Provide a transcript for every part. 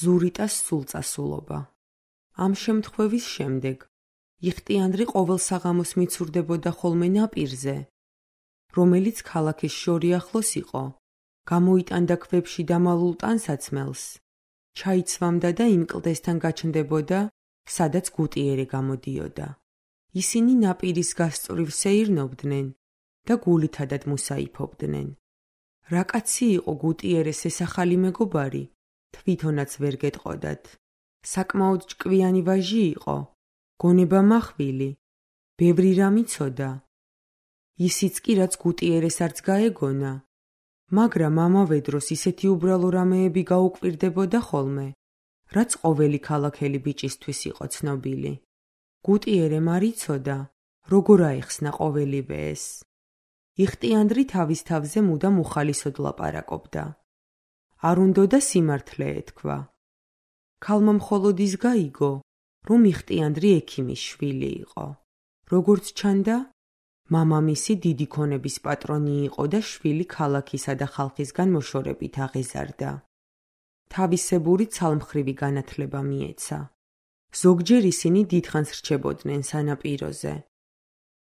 ზურიტას სულწასულობა. ამ შემთხვევის შემდეგ იხტიანდრი ყოველ საღამოს მიცურდებოდა ხოლმე ნაპირზე, რომელიც ქალაქის შორიახლოს იყო, გამოიტანდა ქვებში დამალულ ტანსაცმელს, ჩაიცვამდა და იმ კლდესთან გაჩნდებოდა, სადაც გუტიერე გამოდიოდა. ისინი ნაპირის გასწვრივ სეირნობდნენ და გულითადად მუსაიფობდნენ. რა კაცი იყო გუტიერეს ეს ახალი მეგობარი, თვითონაც ვერ გეტყოდათ. საკმაოდ ჭკვიანი ვაჟი იყო, გონება מחვილი, ბევრი რამ იცოდა. ისიც კი რაც გუტიერეს არც გაეგონა, მაგრამ ამავე დროს ისეთი უბრალო რამეები გაუკვირდებოდა ხოლმე, რაც ყოველი ქალაქელი ბიჭისთვის იყო ცნობილი. გუტიერემ არ იცოდა, როგორ აეხსნა ყოველივე ეს. იხტიანდრი თავის თავზე მუდამ უხალისოდ ლაპარაკობდა. არ უნდოდა სიმართლე ეთქვა. ქალმა მხოლოდ ის გაიგო, რომ იხტიანდრი ექიმის შვილი იყო. როგორც ჩანდა, მამამისი დიდი ქონების პატრონი იყო და შვილი ქალაქისა და ხალხისგან მოშორებით აღეზარდა. თავისებური ცალმხრივი განათლება მიეცა. ზოგჯერ ისინი დიდხანს რჩებოდნენ სანაპიროზე.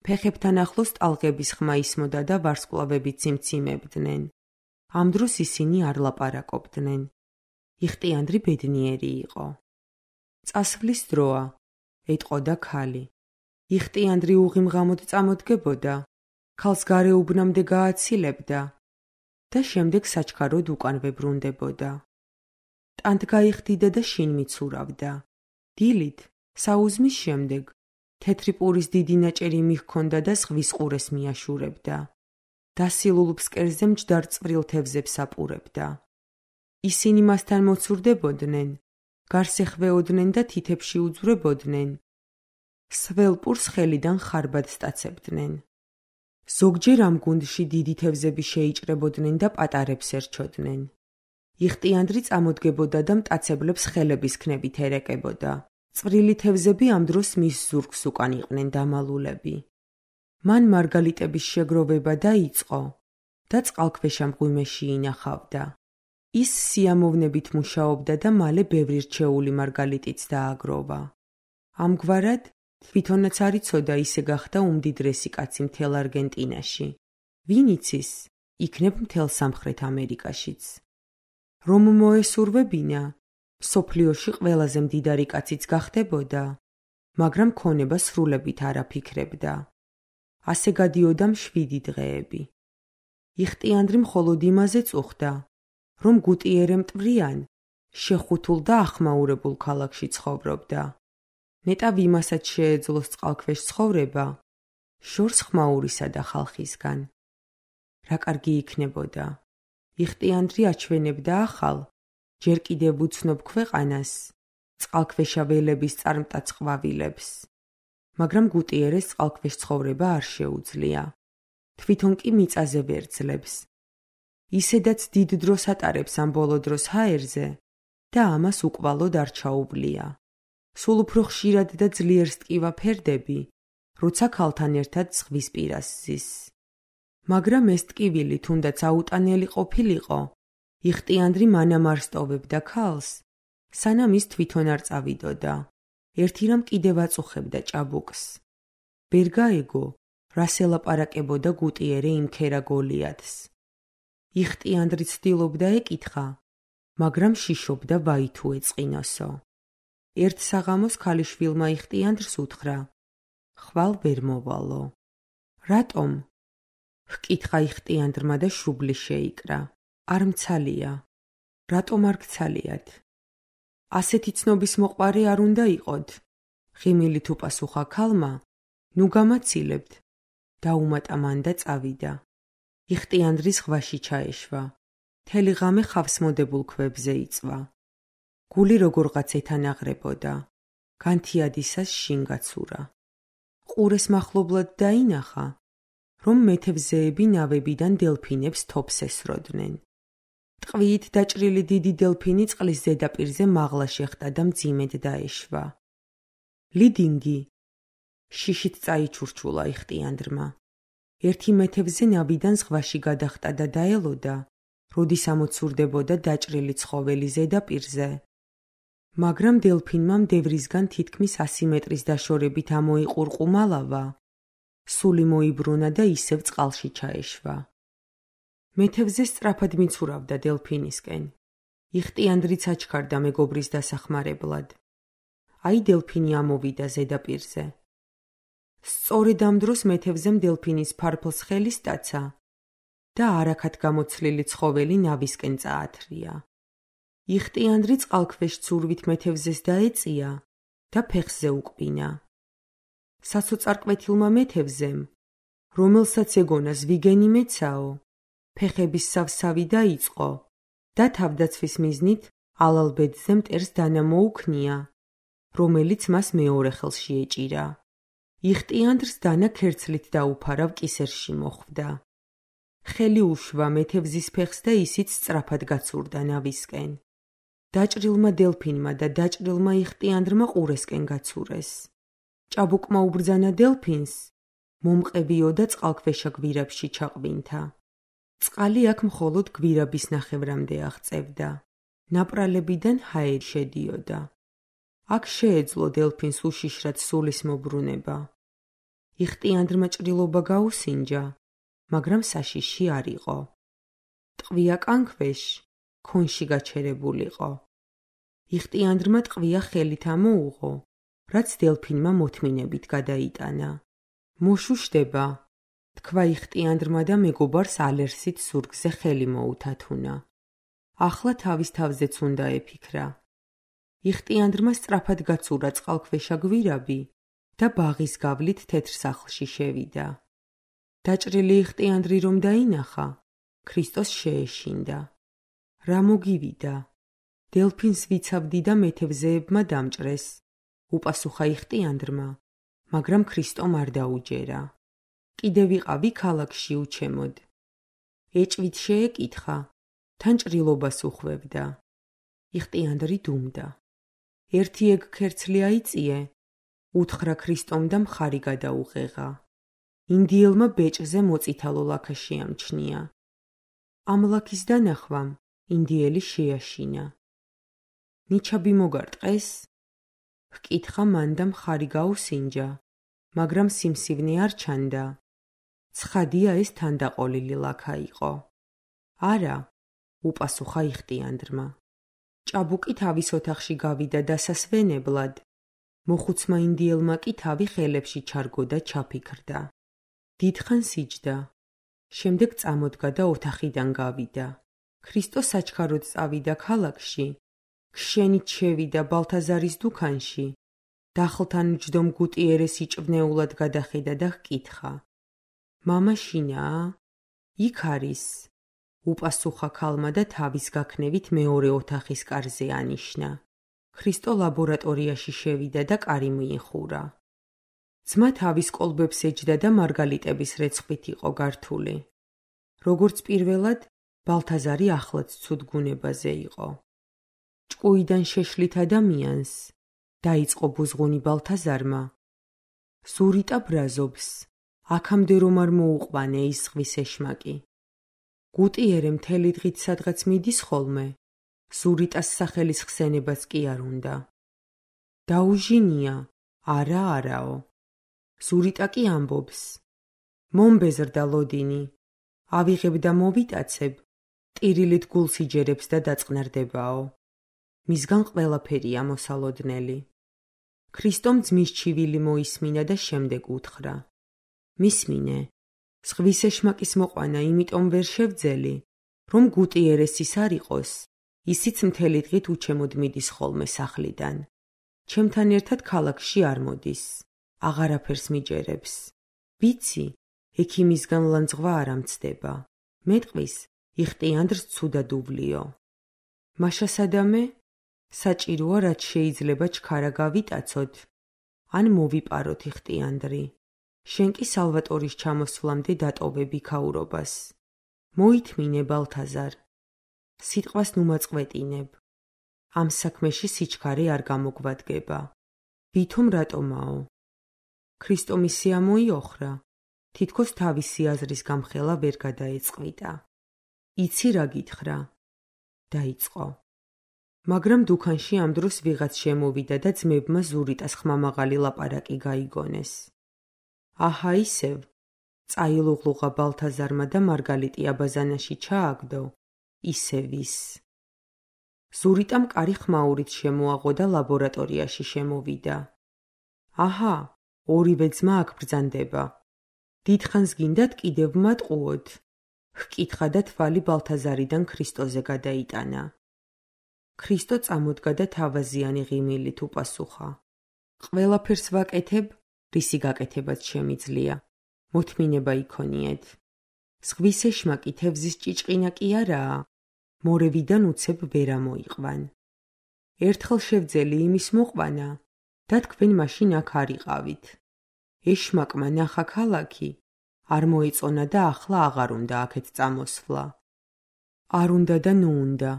ფეხებთან ახლოს ტალღების ხმა ისმოდა და ვარსკვლავებით სიმციმებდნენ. ამ დროს ისინი არ ლაპარაკობდნენ. იხტიანდრი ბედნიერი იყო. წასვლის დროა, ეტყოდა ქალი. იხტიანდრი უღიმღამოდ წამოდგებოდა, ქალს გარეუბნამდე გააცილებდა და შემდეგ საჩქაროდ უკანვე ბრუნდებოდა. ტანთ გაიხდიდა და შინ მიცურავდა. დილით, საუზმის შემდეგ, თეთრი პურის დიდი ნაჭერი მიჰქონდა და ზღვის ყურეს მიაშურებდა. დასილულ ფსკერზე მჯდარ წვრილ თევზებს აპურებდა. ისინი მასთან მოცურდებოდნენ, გარს ეხვეოდნენ და თითებში უძვრებოდნენ. სველ პურს ხელიდან ხარბად სტაცებდნენ. ზოგჯერ ამ გუნდში დიდი თევზები შეიჭრებოდნენ და პატარებს ერჩოდნენ. იხტიანდრი წამოდგებოდა და მტაცებლებს ხელების ქნებით ერეკებოდა. წვრილი თევზები ამ დროს მის ზურგს უკან იყვნენ დამალულები. მან მარგალიტების შეგროვება დაიწყო და წყალქვეშა მღვიმეში ინახავდა. ის სიამოვნებით მუშაობდა და მალე ბევრი რჩეული მარგალიტიც დააგროვა. ამგვარად, თვითონაც არ იცოდა ისე გახდა უმდიდრესი კაცი მთელ არგენტინაში. ვინ იცის, იქნებ მთელ სამხრეთ ამერიკაშიც. რომ მოესურვებინა, სოფლიოში ყველაზე მდიდარი კაციც გახდებოდა, მაგრამ ქონება სრულებით არ აფიქრებდა. ასე გადიოდა მშვიდი დღეები. იხტიანდრი მხოლოდ იმაზე წუხდა, რომ გუტიერე მტვრიან, შეხუთულ და ახმაურებულ ქალაქში ცხოვრობდა. ნეტავ იმასაც შეეძლოს წყალქვეშ ცხოვრება, შორს ხმაურისა და ხალხისგან. რა კარგი იქნებოდა. იხტიანდრი აჩვენებდა ახალ, ჯერ კიდევ უცნობ ქვეყანას, წყალქვეშა ველების წარმტაც ყვავილებს. მაგრამ გუტიერეს წყალქვეშ ცხოვრება არ შეუძლია. თვითონ კი მიწაზე ვერძლებს. ისედაც დიდ დროს ატარებს ამ ბოლო დროს ჰაერზე და ამას უკვალოდ არ ჩაუვლია. სულ უფრო ხშირად და ძლიერ სტკივა ფერდები, როცა ქალთან ერთად ზღვის პირას ზის. მაგრამ ეს ტკივილი თუნდაც აუტანელი ყოფილიყო, იხტიანდრი მანამ არ სტოვებდა ქალს, სანამ ის თვითონ არ წავიდოდა. ერთი რამ კიდევ აწუხებდა ჭაბუკს. ვერ გაეგო, რას ელაპარაკებოდა გუტიერე იმ ქერა გოლიათს. იხტიანდრი ცდილობდა ეკითხა, მაგრამ შიშობდა ვაი თუ ეწყინოსო. ერთ საღამოს ქალიშვილმა იხტიანდრს უთხრა, ხვალ ვერ მოვალო. რატომ? ჰკითხა იხტიანდრმა და შუბლი შეიკრა. არ მცალია. რატომ არ გცალიათ? ასეთი ცნობის მოყვარე არ უნდა იყოთ. ღიმილით უპასუხა ქალმა, ნუ გამაცილებთ. დაუმატა მან და წავიდა. იხტიანდრი ზღვაში ჩაეშვა. მთელი ღამე ხავს მოდებულ ქვებზე იწვა. გული როგორღაც ეთანაღრებოდა. განთიადისას შინ გაცურა. ყურეს მახლობლად დაინახა, რომ მეთევზეები ნავებიდან დელფინებს თოფს ესროდნენ. ტყვიით დაჭრილი დიდი დელფინი წყლის ზედაპირზე მაღლა შეხტა და მძიმედ დაეშვა. ლიდინგი, შიშით წაიჩურჩულა იხტიანდრმა. ერთი მეთევზე ნავიდან ზღვაში გადახტა და დაელოდა, როდის ამოცურდებოდა დაჭრილი ცხოველი ზედაპირზე, მაგრამ დელფინმა მდევრისგან თითქმის 100 მეტრის დაშორებით ამოიყურყუმა ლავა. სული მოიბრუნა და ისევ წყალში ჩაეშვა. მეთევზე სწრაფად მიცურავდა დელფინისკენ. იხტიანდრიც აჩქარდა მეგობრის დასახმარებლად. აი დელფინი ამოვიდა ზედაპირზე. სწორედ ამ დროს მეთევზემ დელფინის ფარფლს ხელი სტაცა და არაქად გამოცლილი ცხოველი ნავისკენ წაათრია. იხტიანდრი წყალქვეშ ცურვით მეთევზეს დაეწია და ფეხზე უკბინა. საცოწარკვეთილმა მეთევზემ, რომელსაც ეგონა ზვიგენი მეცაო, ფეხების სავსავი დაიწყო და თავდაცვის მიზნით ალალბედზე მტერს დანა მოუქნია, რომელიც მას მეორე ხელში ეჭირა. იხტიანდრს დანა ქერცლით დაუფარავ კისერში მოხვდა. ხელი უშვა მეთევზის ფეხს და ისიც სწრაფად გაცურდა ნავისკენ. დაჭრილმა დელფინმა და დაჭრილმა იხტიანდრმა ყურესკენ გაცურეს. ჭაბუკმა უბრძანა დელფინს, მომყევიო და წყალქვეშა გვირაბში ჩაყვინთა. წყალი აქ მხოლოდ გვირაბის ნახევრამდე აღწევდა. ნაპრალებიდან ჰაერი შედიოდა. აქ შეეძლო დელფინს უშიშრად სულის მობრუნება. იხტიანდრმა ჭრილობა გაუსინჯა, მაგრამ საშიში არ იყო. ტყვია კანქვეშ, ქონში გაჩერებულიყო. იხტიანდრმა ტყვია ხელით ამოუღო, რაც დელფინმა მოთმინებით გადაიტანა. მოშუშდება, თქვა იხტიანდრმა და მეგობარს ალერსით ზურგზე ხელი მოუთათუნა. ახლა თავის თავზეც უნდა ეფიქრა. იხტიანდრმა სწრაფად გაცურა წყალქვეშა გვირაბი და ბაღის გავლით თეთრ სახლში შევიდა. დაჭრილი იხტიანდრი რომ დაინახა, ქრისტოს შეეშინდა. რა მოგივიდა? დელფინს ვიცავდი და მეთევზეებმა დამჭრეს. უპასუხა იხტიანდრმა, მაგრამ ქრისტომ არ დაუჯერა. კიდე ვიყავი ქალაქში უჩემოდ. ეჭვით შეეკითხა, თან ჭრილობას უხვევდა. იხტიანდრი დუმდა. ერთი ეგ ქერცლი აიწიე, უთხრა ქრისტომ და მხარი გადაუღეღა. ინდიელმა ბეჭზე მოწითალო ლაქა შეამჩნია. ამ ლაქის დანახვამ ინდიელი შეაშინა. ნიჩაბი მოგარტყეს? ჰკითხა მან და მხარი გაუსინჯა, მაგრამ სიმსივნე არ ჩანდა. ცხადია ეს თანდაყოლილი ლაქა იყო. არა, უპასუხა იხტიანდრმა. ჭაბუკი თავის ოთახში გავიდა დასასვენებლად. მოხუცმა ინდიელმა კი თავი ხელებში ჩარგო და ჩაფიქრდა. დიდხანს იჯდა. შემდეგ წამოდგა და ოთახიდან გავიდა. ქრისტო საჩქაროდ წავიდა ქალაქში. ქშენით შევიდა ბალთაზარის დუქანში. დახლთან მჯდომ გუტიერეს იჭვნეულად გადახედა და ჰკითხა. მამა შინაა? იქ არის. უპასუხა ქალმა და თავის გაქნევით მეორე ოთახის კარზე ანიშნა. ქრისტო ლაბორატორიაში შევიდა და კარი მიიხურა. ძმა თავის კოლბებს ეჯდა და მარგალიტების რეცხვით იყო გართული. როგორც პირველად, ბალთაზარი ახლაც ცუდ გუნებაზე იყო. ჭკუიდან შეშლით ადამიანს, დაიწყო ბუზღუნი ბალთაზარმა. ზურიტა ბრაზობს, აქამდე რომ არ მოუყვანე ის ზღვის ეშმაკი. გუტიერე მთელი დღით სადღაც მიდის ხოლმე, ზურიტას სახელის ხსენებაც კი არ უნდა. დაუჟინია, არაო. ზურიტა კი ამბობს. მომბეზრდა ლოდინი, ავიღებ და მოვიტაცებ, ტირილით გულს იჯერებს და დაწყნარდებაო. მისგან ყველაფერია მოსალოდნელი. ქრისტომ ძმის ჩივილი მოისმინა და შემდეგ უთხრა. მისმინე, ზღვის ეშმაკის მოყვანა იმიტომ ვერ შევძელი, რომ გუტიერეს ის არ იყოს, ისიც მთელი დღით უჩემოდ მიდის ხოლმე სახლიდან. ჩემთან ერთად ქალაქში არ მოდის, აღარაფერს მიჯერებს. ვიცი, ექიმისგან ლანძღვა არ ამცდება. მეტყვის, იხტიანდრს ცუდად უვლიო. მაშა სადამე? საჭიროა რაც შეიძლება ჩქარა გავიტაცოთ, ან მოვიპაროთ იხტიანდრი. შენ კი სალვატორის ჩამოსვლამდე დატოვებ იქაურობას. მოითმინე ბალთაზარ. სიტყვას ნუ მაწყვეტინებ. ამ საქმეში სიჩქარე არ გამოგვადგება. ვითომ რატომაო? ქრისტომ ისე ამოიოხრა, თითქოს თავისი აზრის გამხელა ვერ გადაეწყვიტა. იცი რა გითხრა? დაიწყო. მაგრამ დუქანში ამ დროს ვიღაც შემოვიდა და ძმებმა ზურიტას ხმამაღალი ლაპარაკი გაიგონეს. აჰა ისევ, წაილუღლუღა ბალთაზარმა და მარგალიტი აბაზანაში ჩააგდო, ისევ ის. ზურიტამ კარი ხმაურით შემოაღო და ლაბორატორიაში შემოვიდა. აჰა, ორივე ძმა აქ ბრძანდება. დიდხანს გინდათ კიდევ ვმატყუოთ? ჰკითხა და თვალი ბალთაზარიდან ქრისტოზე გადაიტანა. ქრისტო წამოდგა და თავაზიანი ღიმილით უპასუხა. ყველაფერს ვაკეთებ, რისი გაკეთებაც შემიძლია. მოთმინება იქონიეთ. ზღვის ეშმაკი თევზის ჭიჭყინა კი არაა, მორევიდან უცებ ვერ ამოიყვან. ერთხელ შევძელი იმის მოყვანა და თქვენ მაშინ აქ არ იყავით. ეშმაკმა ნახა ქალაქი, არ მოეწონა და ახლა აღარ უნდა აქეთ წამოსვლა. არ უნდა და ნუ უნდა.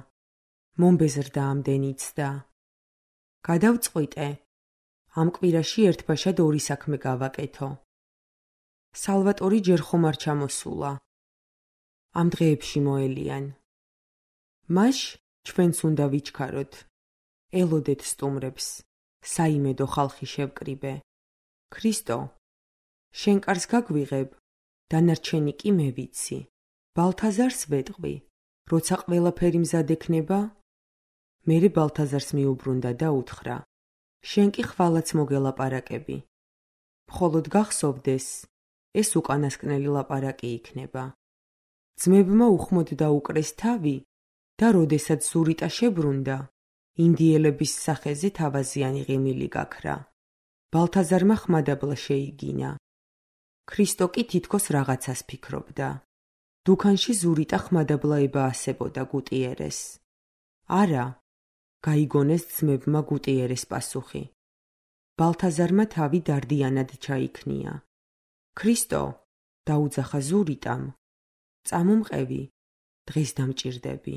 მომბეზრდა ამდენიც და. გადავწყვიტე. ამ კვირაში ერთბაშად ორი საქმე გავაკეთო. სალვატორი ჯერ ხომ არ ჩამოსულა. ამ დღეებში მოელიან. მაშ ჩვენც უნდა ვიჩქაროთ. ელოდეთ სტუმრებს. საიმედო ხალხი შევკრიბე. ქრისტო, შენ კარს გაგვიღებ, დანარჩენი კი მე ვიცი. ბალთაზარს ვეტყვი, როცა ყველაფერი მზად ექნება, მერე ბალთაზარს მიუბრუნდა და უთხრა. შენ კი ხვალაც მოგელაპარაკები. მხოლოდ გახსოვდეს, ეს უკანასკნელი ლაპარაკი იქნება. ძმებმა უხმოდ დაუკრეს თავი და როდესაც ზურიტა შებრუნდა, ინდიელების სახეზე თავაზიანი ღიმილი გაქრა. ბალთაზარმა ხმადაბლა შეიგინა. ქრისტო კი თითქოს რაღაცას ფიქრობდა. დუქანში ზურიტა ხმადაბლაება ასებოდა გუტიერეს. არა, გაიგონეს ძმებმა გუტიერეს პასუხი. ბალთაზარმა თავი დარდიანად ჩაიქნია. ქრისტო, დაუძახა ზურიტამ. წამომყევი, დღეს დამჭირდები.